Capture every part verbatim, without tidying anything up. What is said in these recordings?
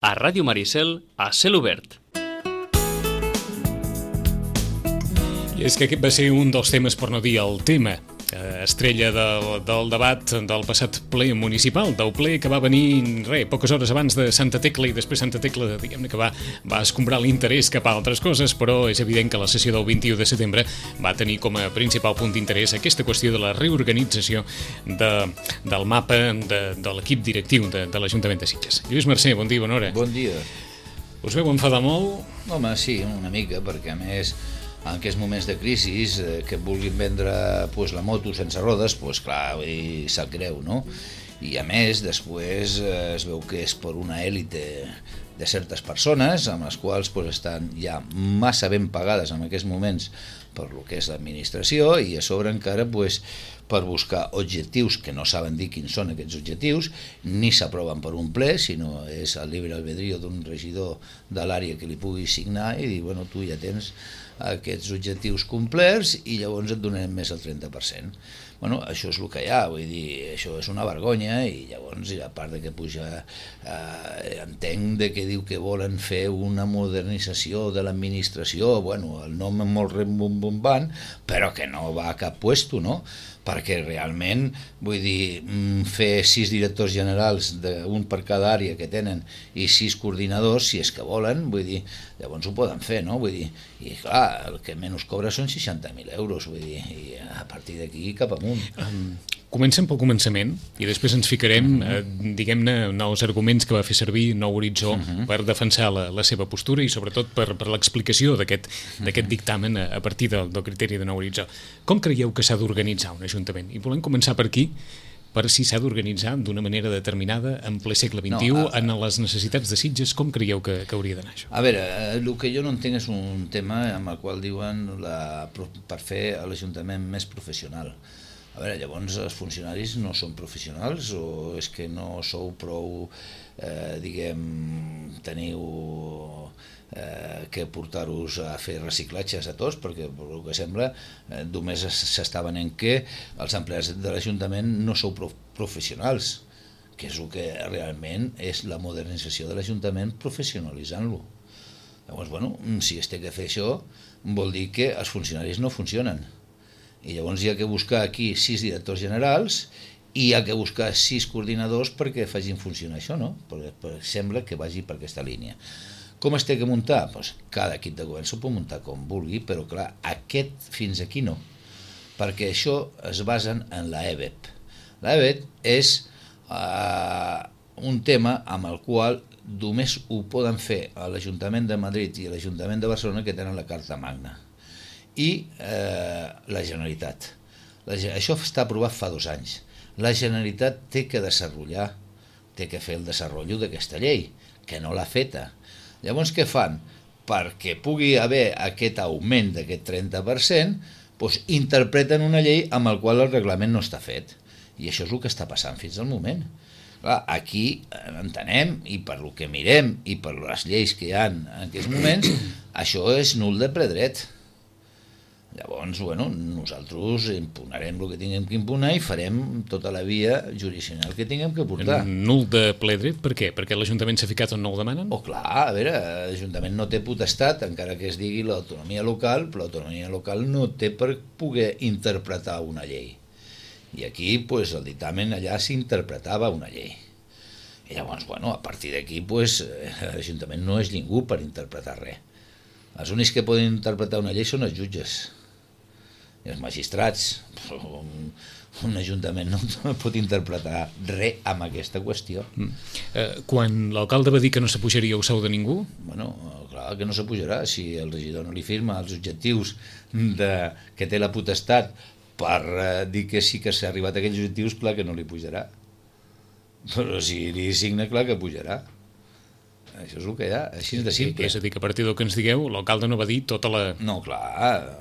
A Ràdio Maricel, a cel obert. I és que aquest va ser un dels temes, per no dir el tema, estrella del, del debat del passat ple municipal, del ple que va venir, re, poques hores abans de Santa Tecla, i després Santa Tecla, diguem-ne que va, va escombrar l'interès cap a altres coses, però és evident que la sessió del vint-i-u de setembre va tenir com a principal punt d'interès aquesta qüestió de la reorganització de, del mapa de, de l'equip directiu de, de l'Ajuntament de Sitges. Lluís Mercè, bon dia, bona hora. Bon dia. Us veu enfadar molt? Home, sí, una mica, perquè a més, en aquests moments de crisi, eh, que vulguin vendre pues, la moto sense rodes, pues, clar, i sap greu, no? I a més, després eh, es veu que és per una èlite de certes persones, amb les quals pues, estan ja massa ben pagades en aquests moments per lo que és l'administració, i a sobre encara pues, per buscar objectius que no saben dir quins són aquests objectius, ni s'aproven per un ple, sinó és el llibre albedrío d'un regidor de l'àrea que li pugui signar i dir, bueno, tu ja tens aquests objectius complerts i llavors et donarem més el trenta per cent. Bueno, això és el que hi ha, vull dir, això és una vergonya, i llavors, a part de que puja, eh, entenc de que diu que volen fer una modernització de l'administració, bueno, el nom és molt rimbombant, però que no va a cap puesto, no? Perquè realment, vull dir, fer sis directors generals, un per cada àrea que tenen, i sis coordinadors, si és que volen, vull dir, llavors ho poden fer, no? Vull dir, i clar, el que menys cobra són seixanta mil euros, vull dir, i a partir d'aquí cap amunt. Um, comencem pel començament i després ens ficarem, uh-huh. eh, diguem-ne, nous arguments que va fer servir Nou Horitzó uh-huh. per defensar la, la seva postura i sobretot per, per l'explicació d'aquest uh-huh. d'aquest dictamen a, a partir del, del criteri de Nou Horitzó. Com creieu que s'ha d'organitzar un ajuntament? I volem començar per aquí, per si s'ha d'organitzar d'una manera determinada en ple segle vint-i-u, no, a, en les necessitats de Sitges. Com creieu que, que hauria d'anar això? A veure, el que jo no entenc és un tema amb el qual diuen la, per fer l'Ajuntament més professional. A veure, llavors els funcionaris no són professionals o és que no sou prou, eh, diguem, teniu eh, que portar-vos a fer reciclatges a tots, perquè pel que sembla eh, només s'està venent que els empleats de l'Ajuntament no sou professionals, que és el que realment és la modernització de l'Ajuntament, professionalitzant-lo. Llavors, bueno, si es té que fer això, vol dir que els funcionaris no funcionen. I llavors hi ha que buscar aquí sis directors generals i hi ha que buscar sis coordinadors perquè facin funcionar això, no? Perquè, perquè sembla que vagi per aquesta línia. Com es té que muntar? Pues cada equip de govern s'ho pot muntar com vulgui, però clar, aquest fins aquí no, perquè això es basen en la E B E P. La E B E P és uh, un tema amb el qual només ho poden fer a l'Ajuntament de Madrid i a l'Ajuntament de Barcelona, que tenen la Carta Magna, i eh, la Generalitat. La, això està aprovat fa dos anys. La Generalitat té que desenvolupar, té que fer el desenvolupament d'aquesta llei, que no l'ha feta. Llavors, què fan? Perquè pugui haver aquest augment d'aquest trenta per cent, doncs interpreten una llei amb la qual el reglament no està fet. I això és el que està passant fins al moment. Clar, aquí entenem, i per lo que mirem, i per les lleis que hi ha en aquests moments, això és nul de ple dret. Llavors, bueno, nosaltres impugnarem el que tinguem que impugnar i farem tota la via jurisdiccional que tinguem que portar. Nul de ple dret? Per què? Perquè l'Ajuntament s'ha ficat on no ho demanen? Oh, clar, a veure, l'Ajuntament no té potestat, encara que es digui l'autonomia local, però l'autonomia local no té per poder interpretar una llei. I aquí, pues, el dictamen allà s'interpretava una llei. I llavors, bueno, a partir d'aquí, pues, l'Ajuntament no és ningú per interpretar res. Els únics que poden interpretar una llei són els jutges i els magistrats. Un, un ajuntament no pot interpretar res amb aquesta qüestió. Mm. Eh, quan l'alcalde va dir que no s'apujaria el sou de ningú? Bueno, clar que no s'apujarà. Si el regidor no li firma els objectius de, que té la potestat per eh, dir que sí que s'ha arribat a aquells objectius, clar que no li pujarà. Però si li signa, clar que pujarà. Això és el que hi ha, així de simple. És a dir, que a partir del que ens digueu, l'alcalde no va dir tota la... No, clar,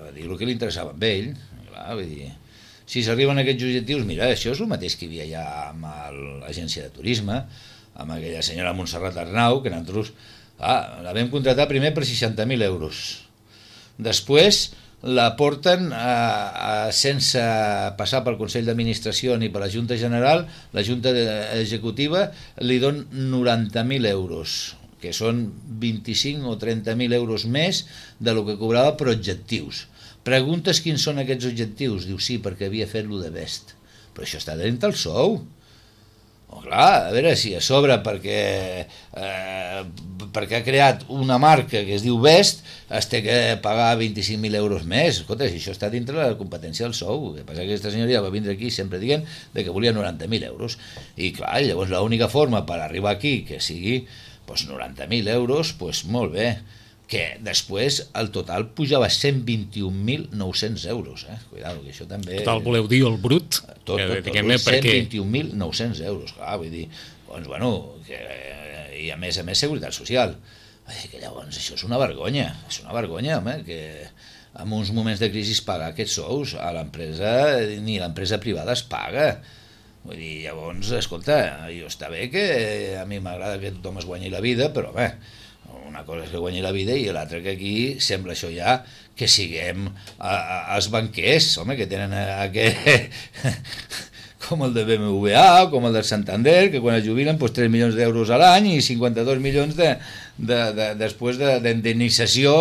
va dir el que li interessava a ell. Clar, vull dir, si s'arriben a aquests objectius, mira, això és el mateix que hi havia ja amb l'agència de turisme, amb aquella senyora Montserrat Arnau, que nosaltres ah, la vam contratar primer per seixanta mil euros. Després la porten a, a, sense passar pel Consell d'Administració ni per la Junta General, la Junta Executiva li don noranta mil euros. que són vint-i-cinc o trenta mil euros més de lo que cobrava per objectius. Preguntes quins són aquests objectius? Diu, sí, perquè havia fet-lo de best. Però això està dins del sou. Oh, clar, a veure si a sobre perquè, eh, perquè ha creat una marca que es diu Best es té que pagar vint-i-cinc mil euros més. Escolta, si això està dintre la competència del sou. El que passa que aquesta senyoria va vindre aquí sempre dient de que volia noranta mil euros. I clar, llavors l'única forma per arribar aquí que sigui pues, noranta mil euros, pues, molt bé, que després el total pujava a cent vint-i-un mil nou-cents euros. Eh? Cuidado, que això també... Total, voleu dir el brut? Tot, tot, tot, tot cent vint-i-un mil nou-cents euros, clar, vull dir, doncs, bueno, que, i a més a més seguretat social. Que llavors això és una vergonya, és una vergonya, home, que en uns moments de crisi pagar aquests sous a l'empresa, ni l'empresa privada es paga. Vull dir, llavors, escolta, jo està bé que a mi m'agrada que tothom es guanyi la vida, però bé, una cosa és que guanyi la vida i l'altra que aquí sembla això ja que siguem a, a, els banquers, home, que tenen aquest... com el de B M W A, com el del Santander, que quan es jubilen pues, tres milions d'euros a l'any i cinquanta-dos milions de, de, de, després d'indemnització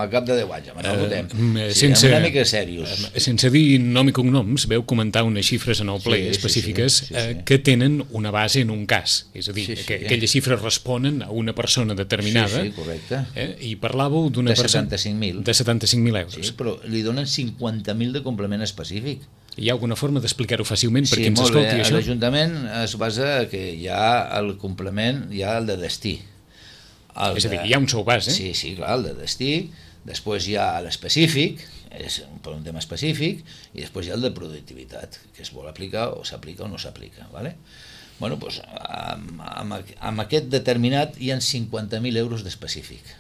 al cap de deu anys. Home, no ho votem. Uh, sí, sense, una mica serios. Uh, sense dir nom i cognoms, veu comentar unes xifres en el ple sí, específiques sí, sí, sí, sí. Uh, que tenen una base en un cas. És a dir, sí, sí, que, sí. aquelles xifres responen a una persona determinada. Sí, sí, correcte. Eh, I parlàveu d'una persona... De setanta-cinc mil. De setanta-cinc mil euros. Sí, però li donen cinquanta mil de complement específic. Hi ha alguna forma d'explicar-ho fàcilment per sí, qui ens escolti bé. això? L'Ajuntament es basa que hi ha el complement, hi ha el de destí. El és a dir, hi ha un sou base. Sí, sí, clar, el de destí, després hi ha l'específic, és per un tema específic, i després hi ha el de productivitat, que es vol aplicar o s'aplica o no s'aplica. ¿Vale? Bueno, doncs, amb, amb, amb aquest determinat hi ha cinquanta mil euros d'específic.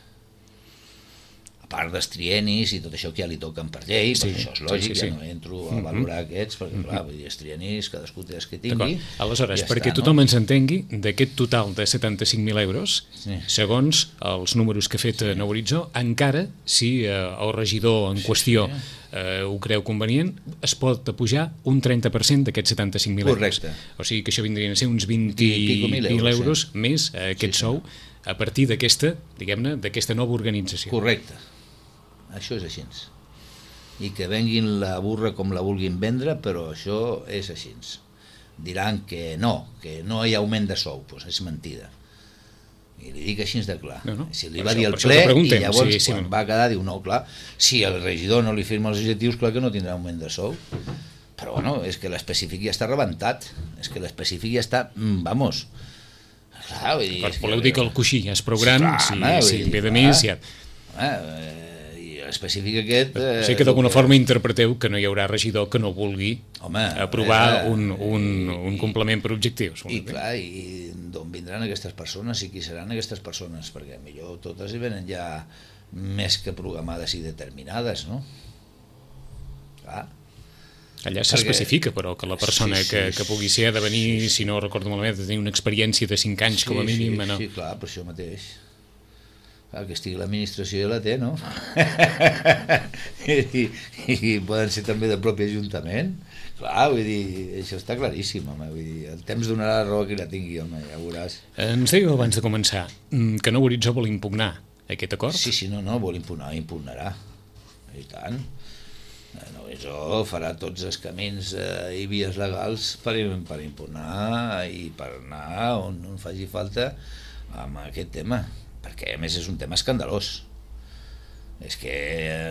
A part dels trienis i tot això que ja li toquen per llei, sí, això és lògic, sí, sí, sí. Ja no entro a valorar mm-hmm. aquests, perquè clar, vull dir, els trienis, cadascú té els que tingui. Aleshores, ja perquè està, tothom no? ens entengui, d'aquest total de setanta-cinc mil euros, sí. segons els números que ha fet sí. Nou Horitzó, encara, si eh, el regidor en sí, qüestió sí. Eh, ho creu convenient, es pot apujar un trenta per cent d'aquests setanta-cinc mil euros. O sigui que això vindrien a ser uns vint mil euros sí. més a aquest sí, sou a partir d'aquesta, diguem-ne, d'aquesta nova organització. Correcte. Això és així. I que venguin la burra com la vulguin vendre, però això és així. Diran que no, que no hi ha augment de sou, doncs és mentida. I li dic així de clar. No, no. Si li va això, dir el ple i llavors sí, sí, quan no. va quedar diu no, clar, si el regidor no li firma els objectius, clar que no tindrà augment de sou. Però bueno, és que l'específic ja està rebentat, és que l'específic ja està, vamos... Clar, vull dir, clar, voleu dir que el coixí ja és prou gran, si, si ve de més ja... Eh, específic aquest... Eh, sí que d'alguna que... forma interpreteu que no hi haurà regidor que no vulgui Home, aprovar eh, un, un, un complement per objectius. I clar, i d'on vindran aquestes persones i qui seran aquestes persones, perquè millor totes hi venen ja més que programades i determinades, no? Clar. Allà s'especifica, però, que la persona sí, sí, que, que pugui ser ha de venir, sí, sí. si no recordo malament, de tenir una experiència de cinc anys sí, com a mínim. Sí, no? sí, clar, per això mateix. Clar, que estigui l'administració ja la té, no? I, i poden ser també del propi Ajuntament. Clar, vull dir, això està claríssim, home. Vull dir, el temps donarà la raó que la tingui, home, ja veuràs. Ens dèieu abans de començar que Nou Horitzó vol impugnar aquest acord? Sí, sí, no, no, vol impugnar, impugnarà. I tant. Nou Horitzó farà tots els camins eh, i vies legals per, per impugnar i per anar on, on faci falta amb aquest tema. Perquè a més és un tema escandalós. És que,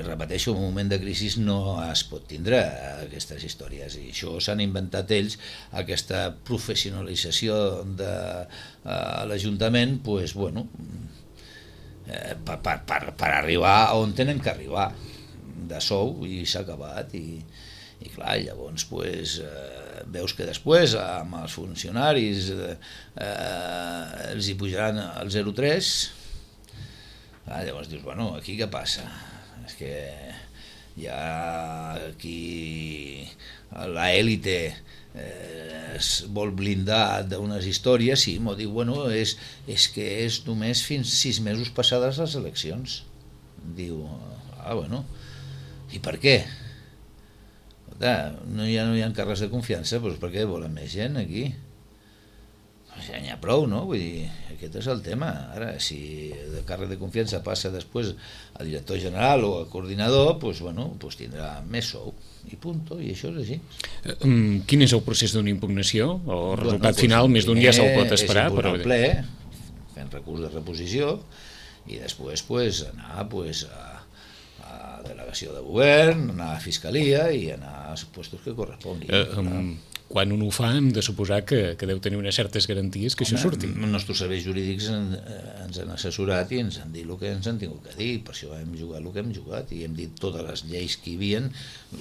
repeteixo, en un moment de crisi no es pot tindre aquestes històries i això s'han inventat ells, aquesta professionalització de uh, l'Ajuntament, pues, bueno, eh, per, per, per, per arribar on tenen que arribar de sou i s'ha acabat i, i clar, llavors pues, eh, veus que després amb els funcionaris eh, eh, els hi pujaran el zero coma tres. Ah, llavors dius, bueno, aquí què passa? És que hi ha aquí l'élite eh, es vol blindar d'unes històries i m'ho diu, bueno, és, és que és només fins sis mesos passades les eleccions. Diu, ah, bueno, i per què? No hi ha, no hi ha càrrecs de confiança, doncs per què volen més gent aquí? ja n'hi ha prou, no? Vull dir, aquest és el tema. Ara, si de càrrec de confiança passa després al director general o al coordinador, doncs, bueno, doncs tindrà més sou, i punto, i això és així. Um, quin és el procés d'una impugnació? El resultat Bueno, doncs, final, més d'un dia se'l pot és esperar, impugnar però... al ple, fent recurs de reposició, i després pues, anar pues, a, a delegació de govern, anar a fiscalia i anar als puestos que corresponguin. Uh, um, quan un ho fa hem de suposar que, que deu tenir unes certes garanties que Home, això surti. Els nostres serveis jurídics en, ens han assessorat i ens han dit el que ens han tingut que dir, per això hem jugat el que hem jugat i hem dit totes les lleis que hi havia,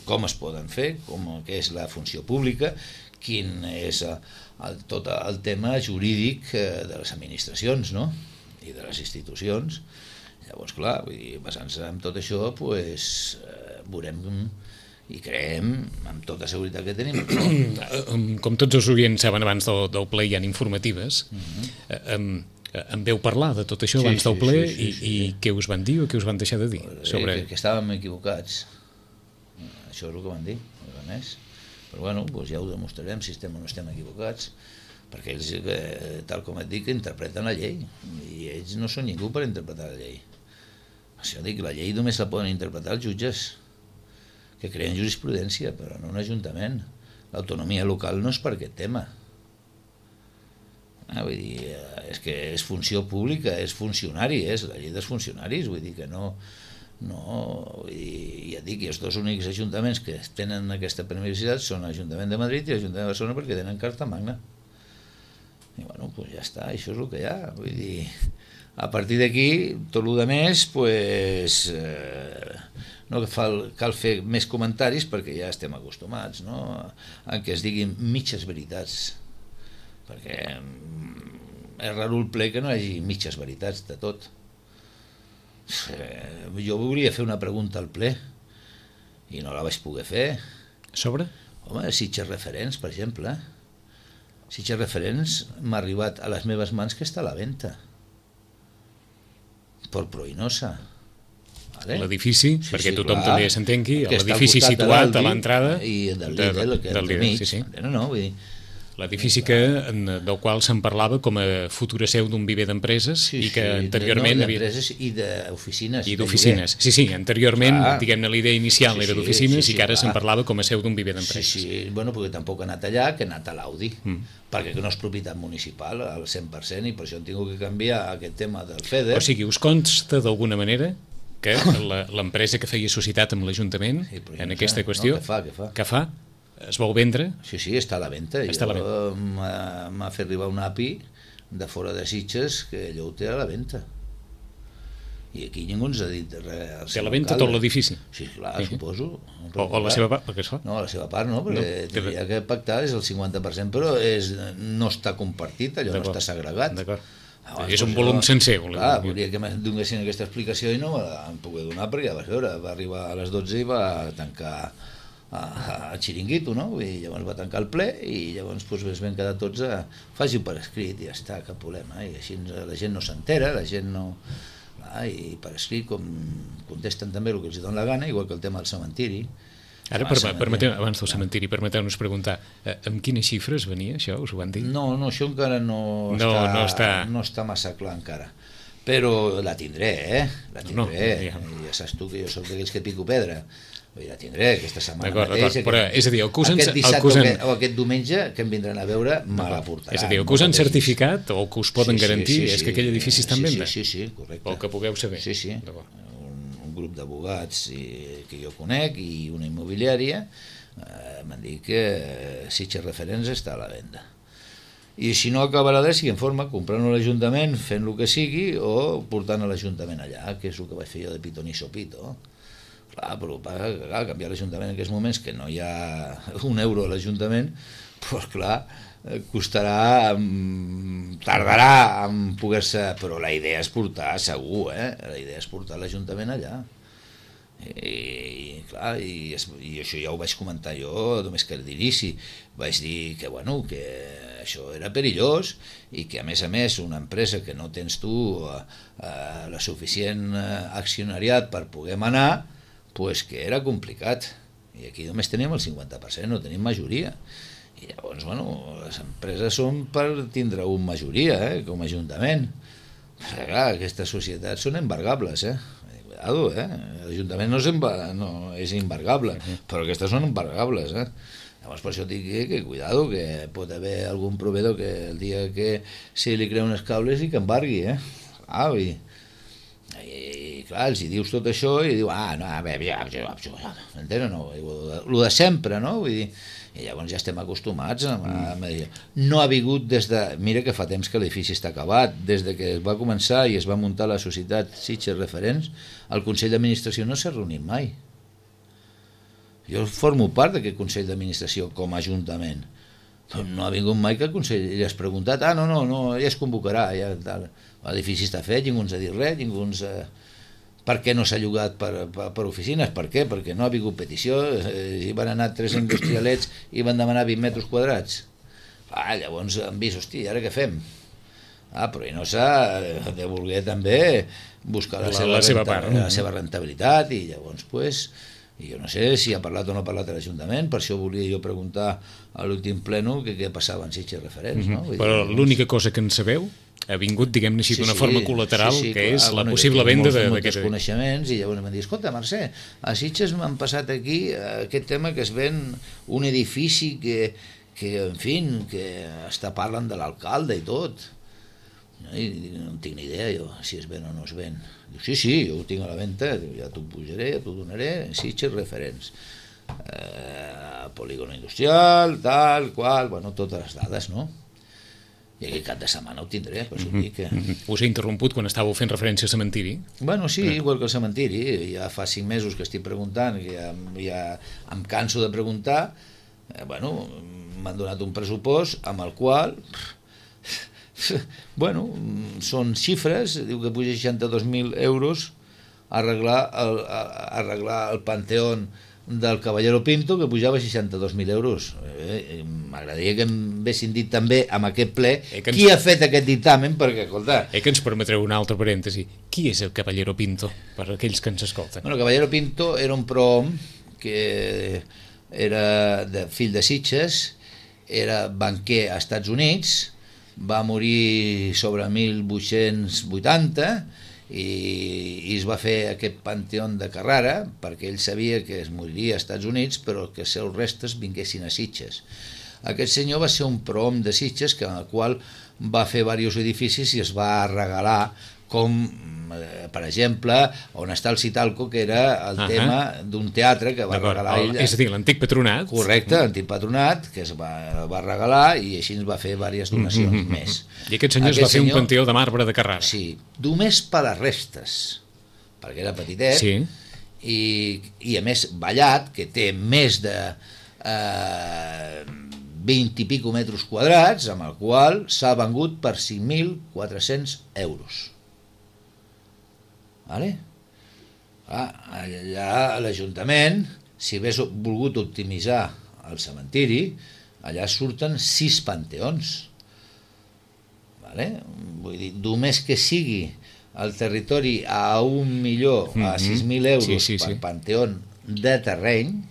com es poden fer, com què és la funció pública, quin és el, tot el tema jurídic de les administracions, no? I de les institucions. Llavors, clar, vull dir, basant-se en tot això, pues, eh, veurem i creiem amb tota seguretat que tenim. Com tots els oients saben, abans del, del ple hi ha informatives. Uh-huh. em, em veu parlar de tot això abans sí, del ple sí, sí, sí, sí, i, i què us van dir o què us van deixar de dir? Sobre... Que, que estàvem equivocats. Això és el que van dir, res més. Però bueno, doncs ja ho demostrarem si estem o no estem equivocats, perquè ells, tal com et dic, interpreten la llei i ells no són ningú per interpretar la llei. Això dic, la llei només la poden interpretar els jutges que creen jurisprudència, però no un ajuntament. L'autonomia local no és per aquest tema. Ah, vull dir, és que és funció pública, és funcionari, és la llei dels funcionaris, vull dir que no... no vull dir, ja et dic, els dos únics ajuntaments que tenen aquesta permissivitat són l'Ajuntament de Madrid i l'Ajuntament de Barcelona perquè tenen carta magna. I bueno, doncs ja està, això és el que hi ha. Vull dir, a partir d'aquí, tot el que més, pues... Eh, no cal, cal fer més comentaris perquè ja estem acostumats, no? A que es diguin mitges veritats, perquè és raro el ple que no hi hagi mitges veritats de tot. Eh, jo volia fer una pregunta al ple i no la vaig poder fer. Sobre? Home, Sitges Referents, per exemple. Sitges Referents m'ha arribat a les meves mans que està a la venda per Proinosa. Vale? L'edifici, sí, perquè sí, tothom clar, també s'entengui, l'edifici situat a l'entrada i del Lidl, que del mig, sí, sí. No, no, vull dir, l'edifici que, del qual se'n parlava com a futura seu d'un viver d'empreses sí, i que sí, anteriorment... No, d'empreses i d'oficines. I d'oficines, sí, sí, anteriorment, clar, diguem-ne, la idea inicial sí, era d'oficines sí, sí, i que ara se'n parlava com a seu d'un viver d'empreses. Sí, sí, bueno, perquè tampoc ha anat allà, que ha anat a l'Audi, mm. perquè no és propietat municipal al cent per cent i per això han tingut que canviar aquest tema del FEDER. O sigui, us consta d'alguna manera que l'empresa que feia societat amb l'Ajuntament sí, en aquesta qüestió, no, que fa, que fa. que fa, es vol vendre? Sí, sí, està a la venda. M'ha fet arribar un A P I de fora de Sitges que allò ho té a la venda. I aquí ningú ens ha dit res. Té a la venda tot l'edifici? Sí, clar, sí. Suposo. O, o la seva part, perquè es fa? No, la seva part no, perquè no, tindria que pactar és el cinquanta per cent, però és, no està compartit, allò no està segregat. D'acord. Abans, és un volum sencer. Clar, volia que em donessin aquesta explicació i no me l'han pogut donar perquè ja vas veure, va arribar a les dotze i va tancar al xiringuito, no? I llavors va tancar el ple i llavors doncs, ens vam quedar tots a faci-ho per escrit i ja està, cap problema. I així la gent no s'entera, la gent no... Clar, i per escrit com contesten també el que els dona la gana, igual que el tema del cementiri. Ara, per, permeteu, abans del cementiri, permeteu-nos preguntar, eh, amb quines xifres venia això, us ho van dir? No, no, això encara no, no, està, no, està... no està massa clar encara, però la tindré, eh? La tindré, no, ja. ja saps tu que jo soc d'aquells que pico pedra, la tindré aquesta setmana mateix, aquest, però, és a dir, el que usen, aquest dissabte el que usen... o aquest diumenge que em vindran a veure me la portaran. És a dir, el que us han certificat o que us poden sí, garantir sí, sí, és que aquell edifici està en sí, venda? Sí, sí, sí, correcte. O que pugueu saber? Sí, sí, un, un grup d'abogats que jo conec i una immobiliària eh, m'han dit que Sitges Referents està a la venda. I si no acabarà de si en forma, comprant-ho a l'Ajuntament, fent el que sigui, o portant a l'Ajuntament allà, que és el que vaig fer jo de pitonisso pito. Clar, però clar, canviar l'Ajuntament en aquests moments, que no hi ha un euro a l'Ajuntament, doncs clar, costarà, tardarà en poder-se... Però la idea és portar, segur, eh? La idea és portar l'Ajuntament allà. I, clar, i, i això ja ho vaig comentar jo només que d'inici, vaig dir que bueno, que això era perillós i que a més a més una empresa que no tens tu eh, eh, la suficient accionariat per poder manar, pues que era complicat i aquí només tenim el cinquanta per cent, no tenim majoria I llavors, bueno, les empreses són per tindre una majoria, eh, com a ajuntament. Però, clar, aquestes societats són embargables, eh? Cuidado, eh? L'Ajuntament no és, embar no, és embargable, però aquestes són embargables, eh? Llavors, per això dic que, que cuidado, que pot haver algun proveedor que el dia que se li crea uns cables i que embargui, eh? Ah, i, i, i clar, els hi dius tot això i diu, ah, no, a veure, ja, ja, ja, entens o no? El de sempre, no? Vull dir, i llavors ja estem acostumats a, a, a dir, no ha vingut des de, mira que fa temps que l'edifici està acabat, des de que es va començar i es va muntar la societat Sitges Referents, el Consell d'Administració no s'ha reunit mai. Jo formo part d'aquest Consell d'Administració com a Ajuntament, però no ha vingut mai que el Consell li has preguntat, ah, no, no, no, ja es convocarà, ja tal. L'edifici està fet, ningú ens ha dit res, ningú ens ha... Per què no s'ha llogat per, per, per oficines? Per què? Perquè no ha vingut petició, eh, hi van anar tres industrialets i van demanar vint metres quadrats. Ah, llavors han vist, hosti, ara què fem? Ah, però i no s'ha de voler també buscar la, la, seva, la, seva, renta, part, la seva rentabilitat i llavors, pues, i jo no sé si ha parlat o no ha parlat a l'Ajuntament, per això volia jo preguntar a l'últim pleno que què passava en Sitges Referents. Mm -hmm. no? Però l'única cosa que en sabeu ha vingut, diguem-ne així, d'una sí, sí, forma col·lateral, sí, sí, que clar, és la bueno, possible venda d'aquest... Molts coneixements, i llavors m'han dit, escolta, Mercè, a Sitges m'han passat aquí aquest tema que es ven un edifici que, que en fi, que està parlant de l'alcalde i tot. I no en tinc ni idea, jo, si es ven o no es ven. Diu, sí, sí, jo ho tinc a la venda, ja t'ho pujaré, ja t'ho donaré, Sitges Referents. Eh, polígono industrial, tal, qual, bueno, totes les dades, no? I aquest cap de setmana ho tindré, per això dic que... Us he interromput quan estàveu fent referència al cementiri? Bueno, sí, igual que el cementiri, ja fa cinc mesos que estic preguntant, que ja, ja em canso de preguntar, eh, bueno, m'han donat un pressupost amb el qual, bueno, són xifres, diu que puja seixanta-dos mil euros a arreglar el, a arreglar el panteón del Caballero Pinto, que pujava seixanta-dos mil euros. Eh, M'agradaria que em haguessin dit també amb aquest ple eh, ens... qui ha fet aquest dictamen, perquè, escolta... Eh, que ens permetreu un altre parèntesi. Qui és el Caballero Pinto, per aquells que ens escolten? Bueno, el Caballero Pinto era un prohom que era de, fill de Sitges, era banquer a Estats Units, va morir sobre mil vuit-cents vuitanta i, i es va fer aquest panteón de Carrara perquè ell sabia que es moriria als Estats Units però que els seus restes vinguessin a Sitges. Aquest senyor va ser un prohom de Sitges que, en el qual va fer diversos edificis i es va regalar, com per exemple on està el Citalco, que era el uh -huh. tema d'un teatre que va regalar ell. És a dir, l'antic patronat. Correcte, l'antic patronat, que es va, va regalar i així ens va fer diverses donacions mm -hmm. més. I aquest senyor aquest es va fer senyor, un panteó de marbre de Carrara. Sí, només per les restes, perquè era petitet, sí. i, i a més ballat, que té més de eh, vint i pico metres quadrats, amb el qual s'ha vengut per cinc mil quatre-cents euros. Vale? Ah, allà a l'Ajuntament, si hagués volgut optimitzar el cementiri, allà surten sis panteons. Vale? Vull dir, només que sigui el territori a un milió, a sis mil euros sí, sí, per sí. panteón de terreny,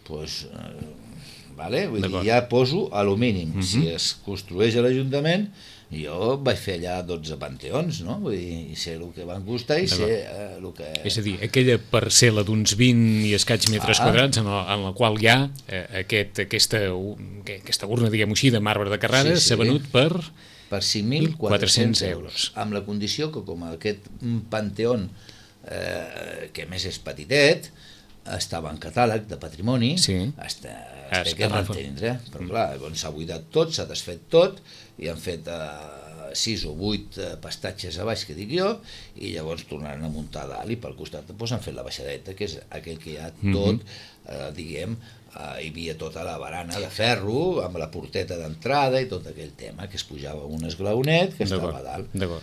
doncs, eh, vale? Vull dir, ja poso a lo mínim. Uh -huh. Si es construeix a l'Ajuntament, jo vaig fer allà dotze panteons, no? Vull dir, sé el que van costar i sé eh, el que... És a dir, aquella parcel·la d'uns vint i escaig metres ah. quadrats en la, en la qual hi ha eh, aquest, aquesta, aquesta urna, diguem-ho així, de marbre de Carrara, s'ha sí, sí. venut per... per cinc mil quatre-cents euros, amb la condició que com aquest panteón, eh, que més és petitet, estava en catàleg de patrimoni, sí. està, es té que mantenir, però clar, doncs s'ha buidat tot, s'ha desfet tot, i han fet eh, sis o vuit eh, pastatges a baix, que dic jo, i llavors tornaran a muntar a dalt, i pel costat doncs, han fet la baixadeta, que és aquell que hi ha tot, eh, diguem, eh, hi havia tota la barana de ferro, amb la porteta d'entrada i tot aquell tema, que es pujava un esglaonet que estava a dalt.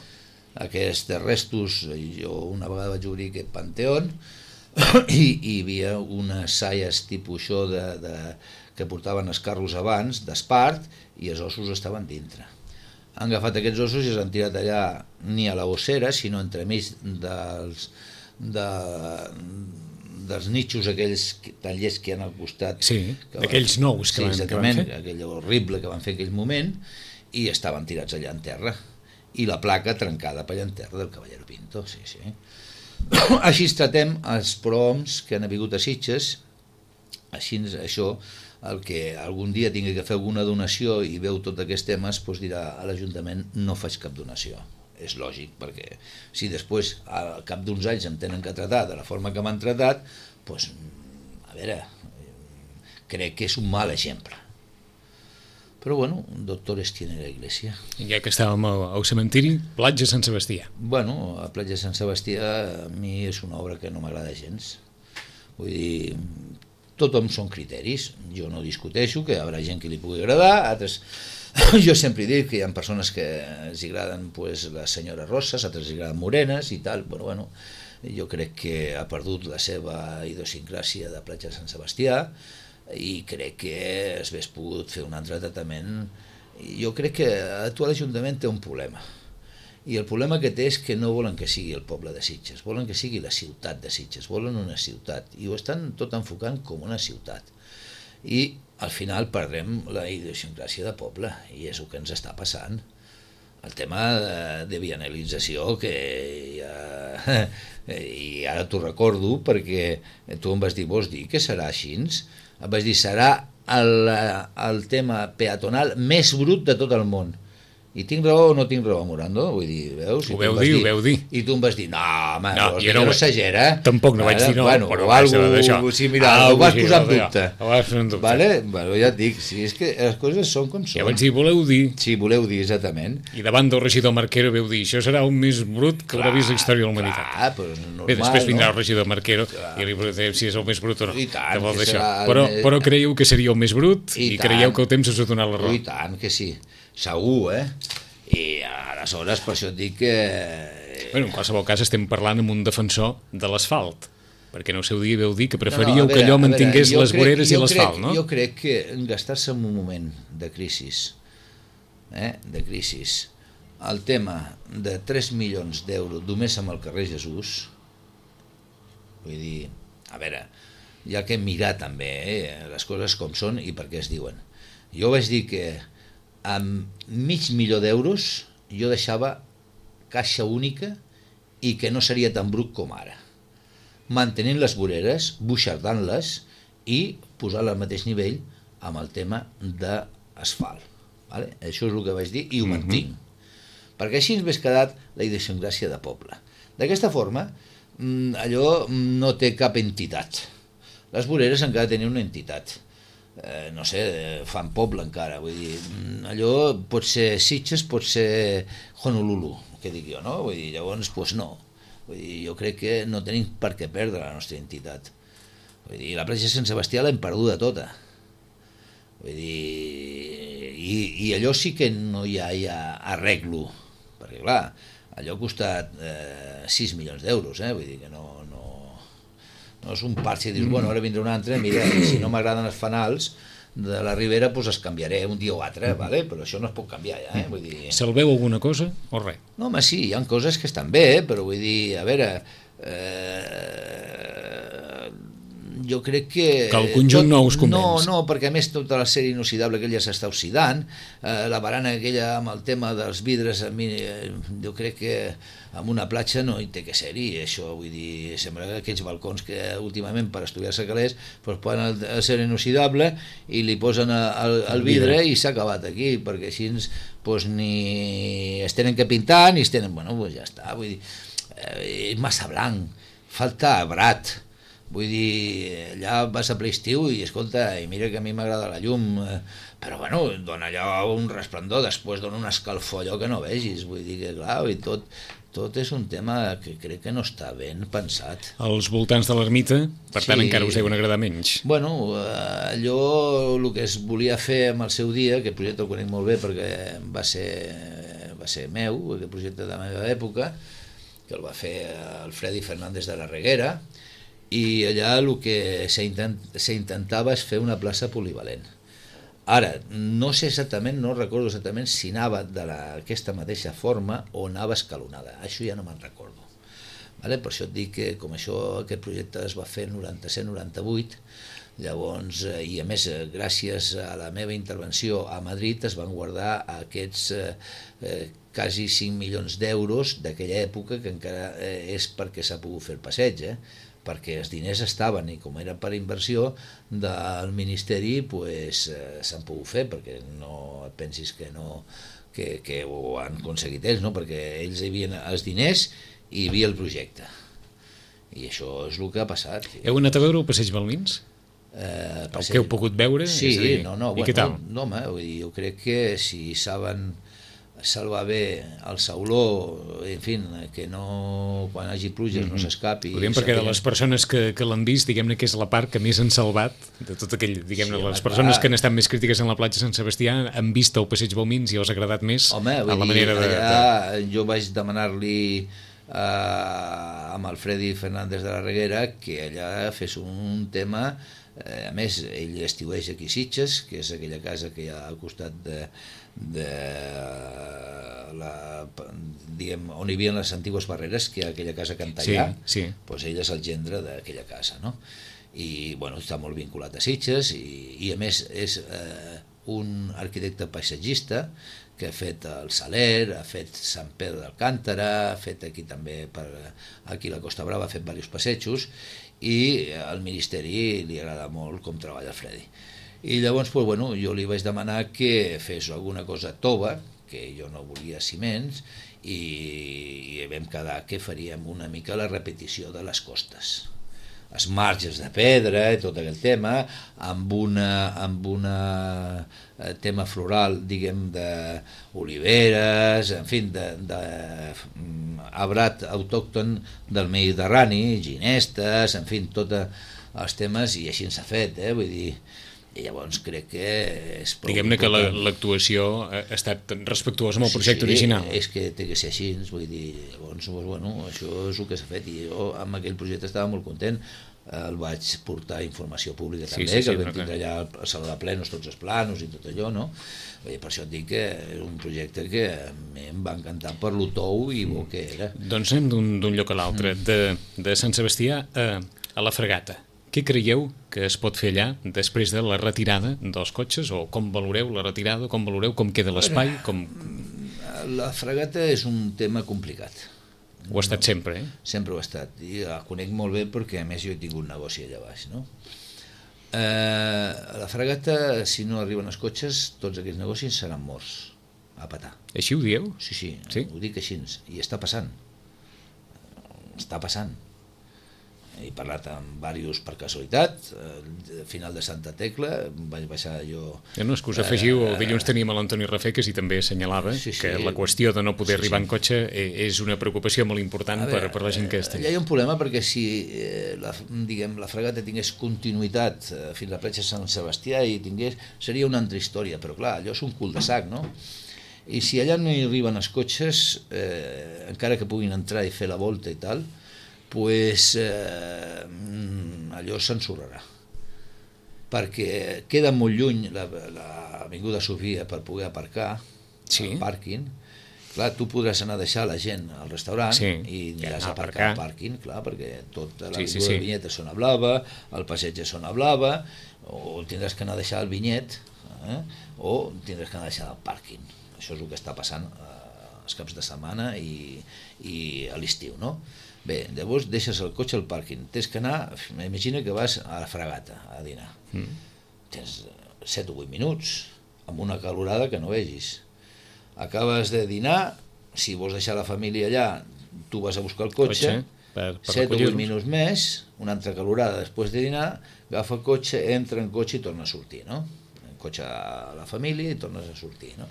Aquests restos, jo una vegada vaig obrir aquest panteón, i hi havia unes saies tipus això de, de, que portaven els carros abans, d'espart, i els ossos estaven dintre. Han agafat aquests ossos i els han tirat allà, ni a la ossera, sinó entremig dels, de, dels nichos aquells tallers que hi ha al costat. Sí, d'aquells nous que, sí, van, que van fer. Aquell horrible que van fer en aquell moment, i estaven tirats allà en terra. I la placa trencada per allà en terra del Caballero Pinto, sí, sí. Així tratem els prohoms que han vingut a Sitges, així això, el que algun dia tingui que fer alguna donació i veu tots aquests temes, doncs dirà a l'Ajuntament no faig cap donació. És lògic, perquè si després al cap d'uns anys em tenen que tratar de la forma que m'han tratat, doncs, a veure, crec que és un mal exemple. Però bueno, doctores tiene la iglesia. I ja que estàvem al, al cementiri, platja Sant Sebastià. Bueno, a platja Sant Sebastià a mi és una obra que no m'agrada gens. Vull dir, tothom són criteris, jo no discuteixo que hi haurà gent que li pugui agradar, altres... jo sempre dic que hi ha persones que els agraden pues, les senyores rosses, altres els agraden morenes i tal, però bueno, jo crec que ha perdut la seva idiosincràsia de platja de Sant Sebastià i crec que es hagués pogut fer un altre tractament. Jo crec que tu a l'Ajuntament té un problema, i el problema que té és que no volen que sigui el poble de Sitges, volen que sigui la ciutat de Sitges, volen una ciutat, i ho estan tot enfocant com una ciutat. I al final perdrem la idiosincràsia de poble, i és el que ens està passant. El tema de, de bienalització, que ja, i ara t'ho recordo, perquè tu em vas dir, vols dir que serà així? Em vas dir, serà el, el tema peatonal més brut de tot el món. I tinc raó o no tinc raó, Morando? Vull dir, veus? Ho veu dir, ho veu dir. I tu em vas dir, no, home, no, jo no, no s'agera. Tampoc no vaig dir no, bueno, però vaig d'això. Sí, mira, ah, ho vas posar en dubte. Ho vas posar en dubte. Vale? Bueno, ja et dic, sí, és que les coses són com són. Ja vaig dir, voleu dir. Sí, voleu dir, exactament. I davant del regidor Marquero veu dir, això serà un més brut que haurà vist la història de la humanitat. Clar, però normal, bé, després vindrà no? el regidor Marquero clar. I li preguntem si és el més brut o no. I tant, que serà però, més... però creieu que seria el més brut i, i creieu que el temps us ha donat la raó. I tant que sí, segur, eh? I aleshores per això et dic que... Bueno, en qualsevol cas estem parlant amb un defensor de l'asfalt, perquè no sé dia veu dir que preferíeu no, no, veure, que allò mantingués veure, les voreres i l'asfalt, no? Jo crec que gastar-se en un moment de crisi, eh, de crisi, el tema de tres milions d'euros només amb el carrer Jesús, vull dir, a veure, hi ha que mirar també eh, les coses com són i per què es diuen. Jo vaig dir que amb mig milió d'euros jo deixava caixa única i que no seria tan brut com ara, mantenint les voreres, buixardant-les i posar-les al mateix nivell amb el tema d'asfalt, vale? Això és el que vaig dir i ho mm-hmm. mantinc, perquè així ens hagués quedat la idiosincràsia de poble. D'aquesta forma allò no té cap entitat, les voreres encara tenen una entitat. Eh, no sé, fan poble encara, vull dir, allò pot ser Sitges, pot ser Honolulu, que dic jo, no? Vull dir, llavors, doncs no. Vull dir, jo crec que no tenim per què perdre la nostra entitat. Vull dir, la platja de Sant Sebastià l'hem perduda tota. Vull dir, i, i allò sí que no hi ha, hi ha arreglo, perquè clar, allò ha costat eh, sis milions d'euros, eh? Vull dir que no... no no és un parc i dius, bueno, ara vindrà un altre, mira, i si no m'agraden els fanals de la Ribera, doncs es canviaré un dia o altre, vale? Però això no es pot canviar ja, eh? Vull dir... Se'l veu alguna cosa o res? No, home, sí, hi ha coses que estan bé, però vull dir, a veure, eh... jo crec que... Que el conjunt tot... no us convenç. No, no, perquè a més tota la sèrie inoxidable aquella s'està oxidant, eh, la barana aquella amb el tema dels vidres, a mi, eh, jo crec que en una platja no hi té que ser-hi, això, vull dir, sembla que aquells balcons que últimament per estudiar-se calés doncs posen el, el ser inoxidable i li posen el, el vidre i s'ha acabat aquí, perquè així doncs, ni es tenen que pintar ni es tenen, bueno, doncs ja està, vull dir, eh, és massa blanc, falta brat, vull dir, allà vas a ple estiu i escolta, i mira que a mi m'agrada la llum, eh, però bueno, dona allò un resplendor, després dona un escalfor allò que no vegis, vull dir que clar, i tot, tot és un tema que crec que no està ben pensat. Als voltants de l'ermita, per tant, sí. Encara us deuen agradar menys. Bueno, allò, el que es volia fer en el seu dia, que el projecte el conec molt bé perquè va ser, va ser meu, aquest projecte de la meva època, que el va fer el Freddy Fernández de la Reguera, i allà el que s'intentava és fer una plaça polivalent. Ara, no sé exactament, no recordo exactament si anava d'aquesta mateixa forma o anava escalonada, això ja no me'n recordo. Vale? Per això et dic que com això, aquest projecte es va fer en noranta-set noranta-vuit, llavors, i a més, gràcies a la meva intervenció a Madrid es van guardar aquests eh, eh, quasi cinc milions d'euros d'aquella època, que encara eh, és perquè s'ha pogut fer el passeig, eh? Perquè els diners estaven i com era per inversió del Ministeri, pues, eh, s'han pogut fer, perquè no et pensis que no que, que ho han aconseguit ells, no? Perquè ells hi havia els diners i hi havia el projecte, i això és el que ha passat. Heu anat a veure el Passeig Balmins? Eh, el que heu pogut veure? Sí, és a dir, no, no, i bueno, què tal? No, home, vull dir, jo crec que si saben salvar bé el sauló, en fi, que no, quan hagi pluges no s'escapi. Ho diem perquè de les persones que, que l'han vist, diguem-ne que és la part que més han salvat de tot aquell, diguem-ne, Sí, les home, persones clar. que han estat més crítiques en la platja Sant Sebastià han vist el Passeig Balmins i els ha agradat més Home, a vull la dir, manera de... allà jo vaig demanar-li eh, amb el Freddy Fernández de la Reguera que allà fes un tema. Eh, a més, ell estiueix aquí a Sitges, que és aquella casa que hi ha al costat de, de la, diguem, on hi havia les antigues barreres, que hi ha aquella casa Cantallà, Sí, sí. doncs ell és el gendre d'aquella casa, no? I bueno, està molt vinculat a Sitges i, i a més és eh, un arquitecte paisatgista que ha fet el Saler, ha fet Sant Pere d'Alcántara, ha fet aquí també per, aquí a la Costa Brava, ha fet diversos passejos, i al Ministeri li agrada molt com treballa el Freddy. I llavors, pues, bueno, jo li vaig demanar que fes alguna cosa tova, que jo no volia ciments, i, i vam quedar que faríem una mica la repetició de les costes. Els marges de pedra i tot aquell tema, amb una, amb una tema floral, diguem, d'oliveres, en fi, de, de arbrat autòcton del Mediterrani, ginestes, en fi, tots els temes, i així s'ha fet, eh? Vull dir, i llavors crec que és prou Diguem-ne que la- important. l'actuació ha estat respectuosa amb el Sí, projecte sí, original. és que té que ser així, vull dir, llavors, bueno, això és el que s'ha fet, i jo amb aquell projecte estava molt content. El vaig portar a informació pública Sí, també, sí, sí, que el vam no, tindre clar. allà al Saló de Plenos, tots els planos i tot allò, no? Vull dir, per això et dic que és un projecte que a mi em va encantar per lo tou i bo que era. Doncs anem d'un d'un lloc a l'altre, de, de Sant Sebastià a, a la Fragata. Què creieu que es pot fer allà després de la retirada dels cotxes, o com valoreu la retirada, com valoreu com queda l'espai, com... La Fragata és un tema complicat. Ho ha estat sempre, eh? Sempre ho ha estat, i la conec molt bé perquè a més jo he tingut un negoci allà baix, no? Eh, a la Fragata, si no arriben els cotxes, tots aquests negocis seran morts, a petar. Així ho dieu? Sí, sí, Sí? ho dic així, i està passant. Està passant. He parlat amb diversos per casualitat, al final de Santa Tecla, vaig baixar jo... Ja no, és que us afegiu, el dilluns teníem a l'Antoni Rafeques i també assenyalava Sí, sí. que la qüestió de no poder Sí, arribar sí. en cotxe eh, és una preocupació molt important A per, veure, per la gent que està allà allà. hi ha un problema perquè si eh, la, diguem, la Fragata tingués continuïtat eh, fins a la platja Sant Sebastià i tingués, seria una altra història, però clar, allò és un cul de sac, no? I si allà no hi arriben els cotxes, eh, encara que puguin entrar i fer la volta i tal, pues, eh, allò s'ensorrarà. Perquè queda molt lluny l'avinguda Sofia per poder aparcar, Sí. al pàrquing. Clar, tu podràs anar a deixar la gent al restaurant Sí, i i aniràs anar a a aparcar al aparcar. pàrquing, clar, perquè tota Sí, l'avinguda sí, sí. de Vinyet és zona blava, el passeig és zona blava, o tindràs que anar a deixar el Vinyet, eh? o tindràs que anar a deixar el pàrquing. Això és el que està passant eh, els caps de setmana i, i a l'estiu, no? Bé, llavors deixes el cotxe al pàrquing, tens que anar, imagina que vas a la Fragata a dinar, Mm. tens set o vuit minuts, amb una calorada que no vegis. Acabes de dinar, si vols deixar la família allà, tu vas a buscar el cotxe, Cotxe, per, per set o vuit recollir-los. minuts més, una altra calorada després de dinar, agafa el cotxe, entra en cotxe i torna a sortir, no? En cotxe a la família i tornes a sortir, no?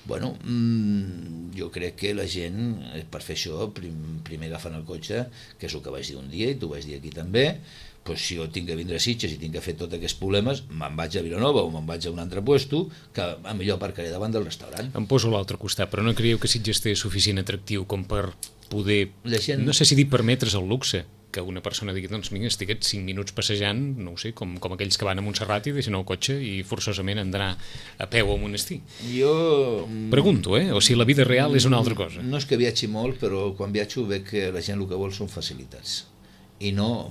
Bueno, mmm, jo crec que la gent, eh, per fer això, prim, primer agafen el cotxe, que és el que vaig dir un dia i t'ho vaig dir aquí també, doncs si jo tinc que vindre a Sitges i tinc que fer tots aquests problemes, me'n vaig a Vilanova o me'n vaig a un altre puesto, que a millor aparcaré davant del restaurant. Em poso a l'altre costat, però no creieu que Sitges té suficient atractiu com per poder, La gent- no sé si dir permetre's el luxe, que una persona digui, doncs vinga, estiguet cinc minuts passejant, no ho sé, com, com aquells que van a Montserrat i deixen el cotxe i forçosament han d'anar a peu al monestir. Jo... Pregunto, eh? O si la vida real és una altra cosa. No és que viatgi molt, però quan viatjo veig que la gent el que vol són facilitats. I no,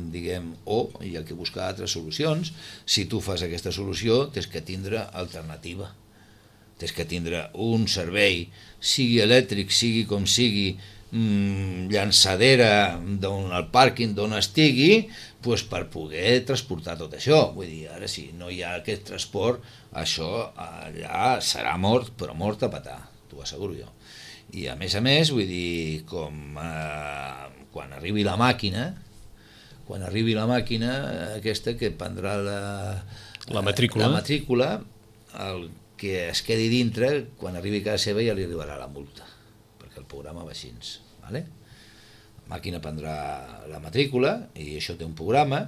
diguem, o hi ha que buscar altres solucions. Si tu fas aquesta solució, tens que tindre alternativa. Tens que tindre un servei, sigui elèctric, sigui com sigui, mmm, llançadera d'on el pàrquing d'on estigui, pues, per poder transportar tot això. Vull dir, ara si no hi ha aquest transport, això allà serà mort, però mort a petar, t'ho asseguro jo. I a més a més, vull dir, com eh, quan arribi la màquina, quan arribi la màquina aquesta que prendrà la, la matrícula, la matrícula el que es quedi dintre, quan arribi a casa seva ja li arribarà la multa, perquè el programa va així, vale? La màquina prendrà la matrícula i això té un programa,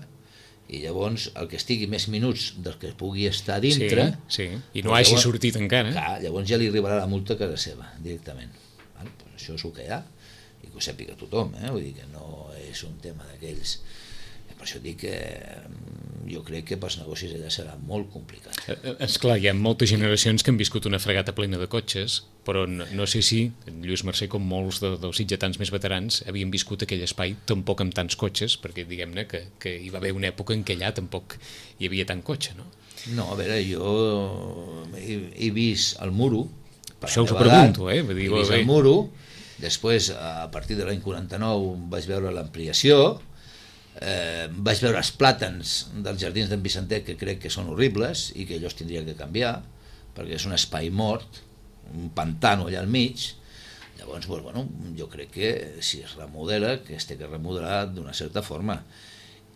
i llavors el que estigui més minuts del que pugui estar dintre, sí, sí. I no hagi llavors, sortit encara, clar, llavors ja li arribarà la multa a casa seva directament, vale? Pues això és el que hi ha i que ho sàpiga tothom, eh? Vull dir que no és un tema d'aquells. Per això dic que jo crec que pels negocis allà serà molt complicat. Esclar, hi ha moltes generacions que han viscut una fregata plena de cotxes, però no, no sé si Lluís Mercè, com molts de, dels sitgetans més veterans, havien viscut aquell espai tampoc amb tants cotxes, perquè diguem-ne que, que hi va haver una època en què allà tampoc hi havia tant cotxe, no? No, a veure, jo he, he vist el muro. Això us ho pregunto, eh? He vist el muro, després, a partir de l'any quaranta-nou, vaig veure l'ampliació. Eh, vaig veure els plàtans dels jardins d'en Vicentet, que crec que són horribles i que allò es tindria que canviar perquè és un espai mort, un pantano allà al mig. Llavors, doncs, bueno, jo crec que si es remodela, que es té que remodelar d'una certa forma,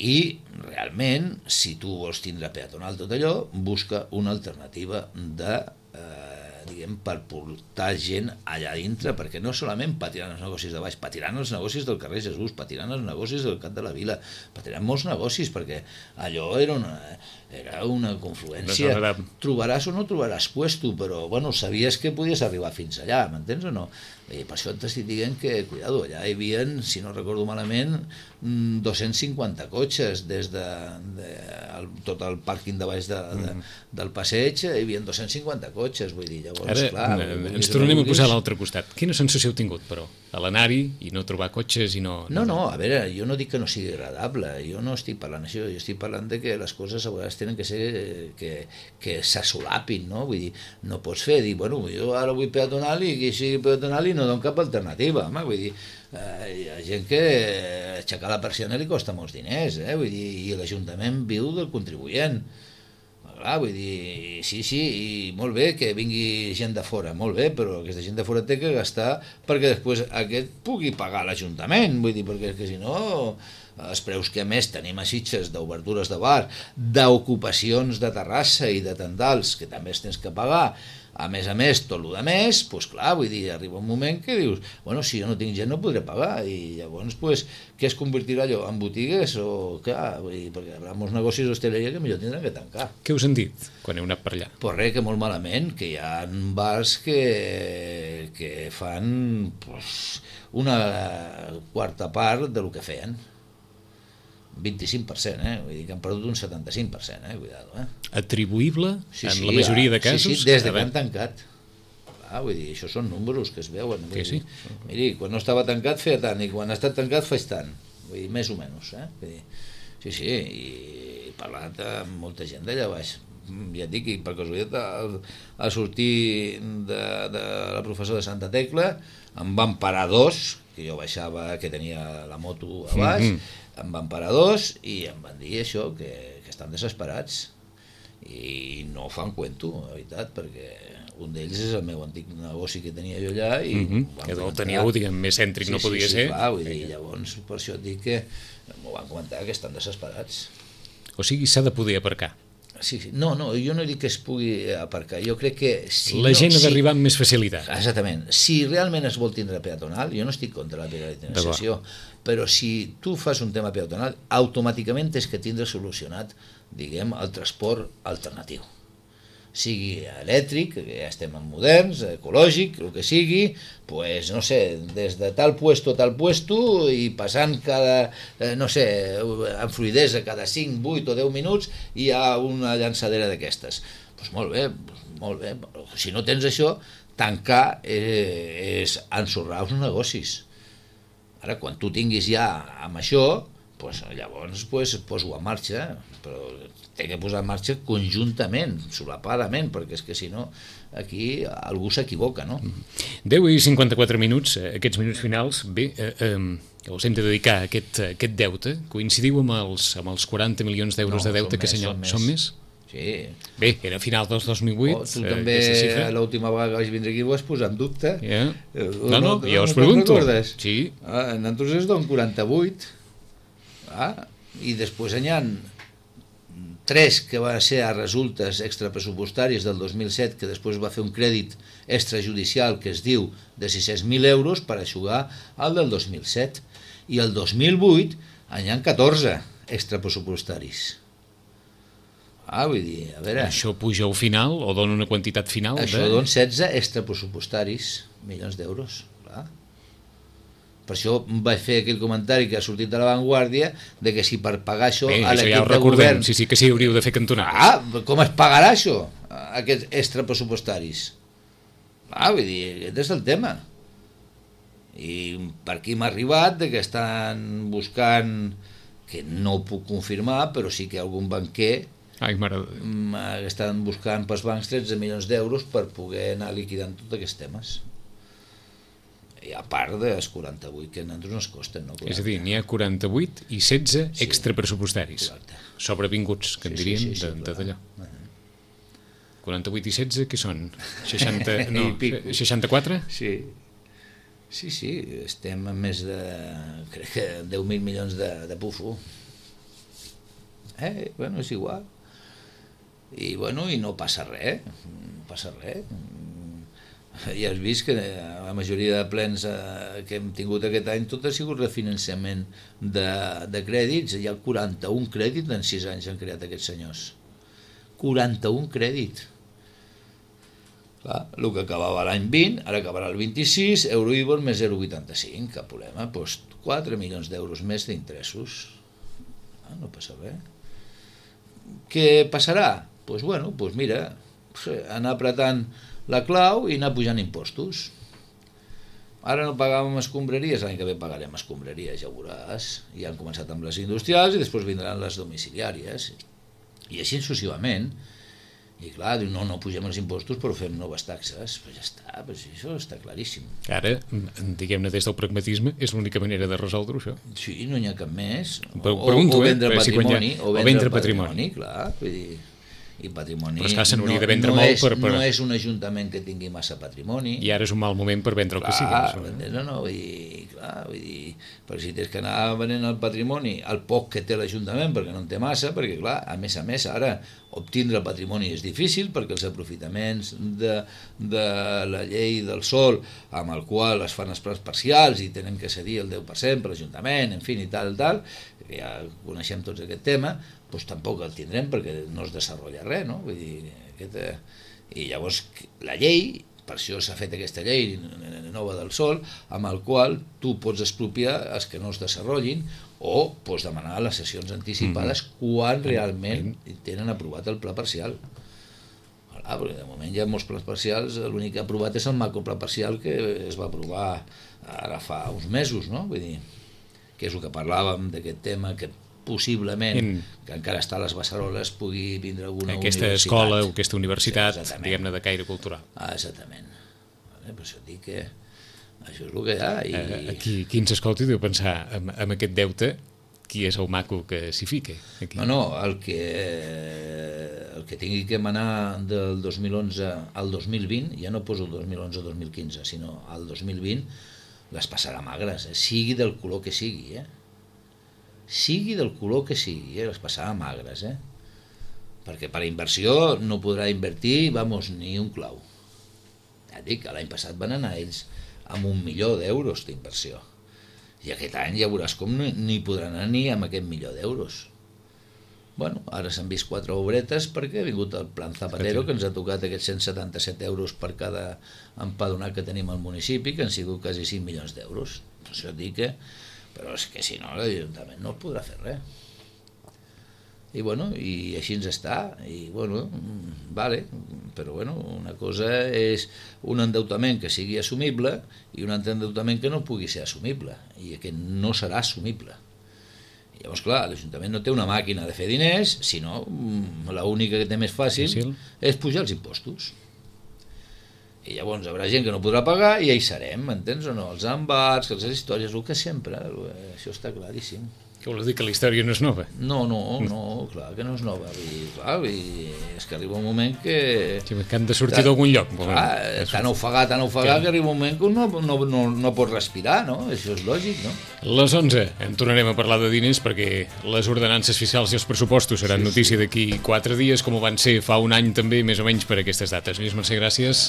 i realment, si tu vols tindre peatonal tot allò, busca una alternativa de eh, diguem, per portar gent allà dintre, perquè no solament patiran els negocis de baix, patiran els negocis del carrer Jesús, patiran els negocis del Cap de la Vila, patiran molts negocis, perquè allò era una, era una confluència. Trobaràs o no trobaràs puesto, però bueno, sabies que podies arribar fins allà, m'entens o no? I per això t'estic dient que, cuidado, allà hi havia, si no recordo malament, dos-cents cinquanta cotxes des de, de el, tot el pàrquing de baix de, de, del passeig, hi havia dos-cents cinquanta cotxes, vull dir, llavors, ara, clar... Ens tornem a posar a l'altre costat. Quina sensació heu tingut, però, a l'anar-hi i no trobar cotxes i no... No, no, a veure, jo no dic que no sigui agradable, jo no estic parlant això, jo estic parlant de que les coses a vegades tenen que ser, que, que s'assolapin, no? Vull dir, no pots fer, dir, bueno, jo ara vull peatonal i que sigui peatonal i no dono cap alternativa, home, vull dir, eh, hi ha gent que aixecar la persiana li costa molts diners, eh, vull dir, i l'Ajuntament viu del contribuent, clar, vull dir, sí, sí, i molt bé que vingui gent de fora, molt bé, però aquesta gent de fora té que gastar perquè després aquest pugui pagar l'Ajuntament, vull dir, perquè que si no els preus que a més tenim a Sitges d'obertures de bar, d'ocupacions de terrassa i de tendals que també es tens que pagar, a més a més, tot el de més, doncs clar, vull dir, arriba un moment que dius, bueno, si jo no tinc gent no podré pagar, i llavors, doncs, què es convertirà allò? En botigues o què? Vull dir, perquè hi haurà molts negocis d'hostaleria que millor tindran que tancar. Què us han dit quan heu anat per allà? Pues res, que molt malament, que hi ha bars que, que fan pues, una quarta part del que feien. vint-i-cinc per cent, eh? Vull dir que han perdut un setanta-cinc per cent, eh? Cuidado, eh? Atribuïble, sí, en sí, la majoria ja, de casos? Sí, sí, des de que han tancat. Ah, vull dir, això són números que es veuen. Que sí? Dir, miri, quan no estava tancat feia tant, i quan ha estat tancat faig tant. Vull dir, més o menys, eh? Vull dir, sí, sí, i he parlat amb molta gent d'allà baix. Ja et dic, per casualitat, al, al sortir de, de la professora de Santa Tecla, em van parar dos, que jo baixava, que tenia la moto a baix, mm-hmm. Em van parar dos i em van dir això, que, que estan desesperats i no fan cuento, la veritat, perquè un d'ells és el meu antic negoci que tenia jo allà i mm-hmm. Que el teníeu, diguem, més cèntric, sí, no podia sí, ser. Sí, clar, vull dir, llavors per això et dic que m'ho van comentar que estan desesperats. O sigui, s'ha de poder aparcar. Sí, sí. No, no, jo no dic que es pugui aparcar, jo crec que... Si la no, gent ha si... d'arribar amb més facilitat. Exactament. Si realment es vol tindre peatonal, jo no estic contra la peatonalització, però si tu fas un tema peatonal, automàticament tens que tindre solucionat, diguem, el transport alternatiu. sigui elèctric, que ja estem en moderns, ecològic, el que sigui, pues, no sé, des de tal puesto a tal puesto i passant cada, eh, no sé, amb fluidesa cada cinc, vuit o deu minuts hi ha una llançadera d'aquestes. Doncs pues molt bé, molt bé. Si no tens això, tancar eh, és ensorrar els negocis. Ara, quan tu tinguis ja amb això, pues, llavors pues, poso en marxa, però té que posar en marxa conjuntament, solapadament, perquè és que si no aquí algú s'equivoca, no? deu i cinquanta-quatre minuts, aquests minuts finals, bé, eh, eh, els hem de dedicar a aquest, a aquest deute. Coincidiu amb els, amb els quaranta milions d'euros no, de deute més, que assenyalen? Són més? Sí. Bé, era a final del dos mil vuit, oh, tu també eh, l'última vegada que vaig vindre aquí ho vas posar en dubte. Yeah. No, no, no, no, jo us no pregunto. Sí. Ah, nosaltres és d'un quaranta-vuit. Ah, i després hi ha tres que van ser a resultes extrapressupostàries del dos mil set, que després va fer un crèdit extrajudicial que es diu de sis-cents mil euros per aixugar el del dos mil set. I el dos mil vuit hi ha catorze extrapressupostaris. Ah, vull dir, a veure... Això puja al final o dona una quantitat final? Això de... dona setze extrapressupostaris, milions d'euros, clar. Per això vaig fer aquell comentari que ha sortit de La Vanguardia, de que si per pagar això Bé, a això l'equip ja ho de recordem, govern... sí, sí, que sí, hauríeu de fer cantonades. Ah, com es pagarà això, aquests extrapressupostaris? Ah, vull dir, aquest és el tema. I per aquí m'ha arribat de que estan buscant, que no ho puc confirmar, però sí que algun banquer Ai, mare... estan buscant pels bancs tretze milions d'euros per poder anar liquidant tots aquests temes. I a part dels quaranta-vuit que a nosaltres ens costen, no? És a dir, n'hi ha quaranta-vuit i setze Sí. extrapressupostaris. Correcte. Sobrevinguts, que en Sí, sí, diríem, sí, sí, de, de clar. d'allò. quaranta-vuit i setze, què són? seixanta, no, I pico. seixanta-quatre? Sí. Sí, sí, estem a més de, crec que deu mil milions de, de pufo. Eh, bueno, és igual. I, bueno, i no passa res, no passa res. Ja has vist que la majoria de plens eh, que hem tingut aquest any tot ha sigut refinançament de, de crèdits. Hi ha quaranta-un crèdits en sis anys han creat aquests senyors. quaranta-un crèdits. Clar, el que acabava l'any vint, ara acabarà el vint-i-sis, Euribor més zero coma vuitanta-cinc, cap problema, doncs quatre milions d'euros més d'interessos. Ah, no passa res. Què passarà? Doncs pues bueno, pues mira, anar apretant la clau i anar pujant impostos. Ara no pagàvem escombraries, l'any que ve pagarem escombraries, ja ho veuràs. Ja han començat amb les industrials i després vindran les domiciliàries. I així successivament. I clar, diu, no, no pugem els impostos però fem noves taxes. Però ja està, però això està claríssim. Ara, diguem-ne des del pragmatisme, és l'única manera de resoldre això. Sí, no n'hi ha cap més. Però, pregunto, o, o vendre eh? patrimoni, Si o vendre, o vendre patrimoni, patrimoni, clar, vull dir... I patrimoni... Però és que se n'hauria no, de vendre no molt és, per, per... No és un ajuntament que tingui massa patrimoni. I ara és un mal moment per vendre el clar, que sigui. No, no, vull dir, clar, vull dir, però si tens que anar venent el patrimoni, el poc que té l'Ajuntament, perquè no en té massa, perquè clar, a més a més, ara obtindre el patrimoni és difícil, perquè els aprofitaments de, de la llei del sòl, amb el qual es fan els plans parcials i tenen que cedir el deu per cent per l'Ajuntament, en fi, i tal, tal, ja coneixem tots aquest tema, doncs tampoc el tindrem perquè no es desenvolupa res, no? Vull dir, aquest, i llavors la llei, per això s'ha fet aquesta llei nova del sòl, amb el qual tu pots expropiar els que no es desenvolupin o pots demanar les sessions anticipades mm-hmm. quan realment tenen aprovat el pla parcial. Clar, perquè de moment hi ha molts plans parcials, l'únic que ha aprovat és el macropla parcial que es va aprovar ara fa uns mesos, no? Vull dir, que és el que parlàvem d'aquest tema, que possiblement, en... que encara està a les Beceroles, pugui vindre alguna aquesta universitat. escola o aquesta universitat, sí, diguem-ne, de caire cultural. Ah, exactament. Vale, per això dic que això és el que hi ha. I... Eh, qui, qui ens escolti deu pensar amb, amb aquest deute, qui és el maco que s'hi fique? Aquí. No, no, el que, el que tingui que manar del dos mil onze al dos mil vint, ja no poso el dos mil onze al dos mil quinze, sinó al dos mil vint, les passarà magres, eh? Sigui del color que sigui, eh? sigui del color que sigui, eh? Les passarà magres, eh? Perquè per inversió no podrà invertir, vamos, ni un clau. Ja dic que l'any passat van anar ells amb un milió d'euros d'inversió. I aquest any ja veuràs com no n'hi podran anar ni amb aquest milió d'euros. Bueno, ara s'han vist quatre obretes perquè ha vingut el Plan Zapatero, que ens ha tocat aquests cent setanta-set euros per cada empadronat que tenim al municipi, que han sigut quasi cinc milions d'euros. Això et dic que... Però és que si no, l'Ajuntament no podrà fer res. I bueno, i així ens està, i bueno, vale, però bueno, una cosa és un endeutament que sigui assumible i un altre endeutament que no pugui ser assumible, i aquest no serà assumible. Llavors, clar, l'Ajuntament no té una màquina de fer diners, sinó l'única que té més fàcil és pujar els impostos. I llavors hi haurà gent que no podrà pagar i ja hi serem, m'entens o no? Els embats, les històries, el que sempre, això està claríssim. Què vols dir, que la història no és nova? No, no, no, clar que no és nova. I, clar, i és que arriba un moment que... Sí, que han de sortir d'algun lloc. Clar, tan ofegat, tan ofegat, que arriba un moment que no, no, no, no pot respirar, no? Això és lògic, no? Les onze en tornarem a parlar de diners perquè les ordenances fiscals i els pressupostos seran sí, notícia sí. d'aquí quatre dies, com ho van ser fa un any també, més o menys per aquestes dates. Lluís Mercè, gràcies.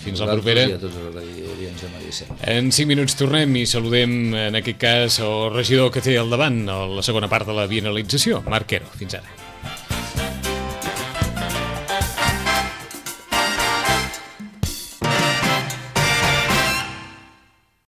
Fins la propera. I a tots els audients de Maricel. En cinc minuts tornem i saludem, en aquest cas, el regidor que té al davant a la segona part de la bienalització, Marc Quero. Fins ara.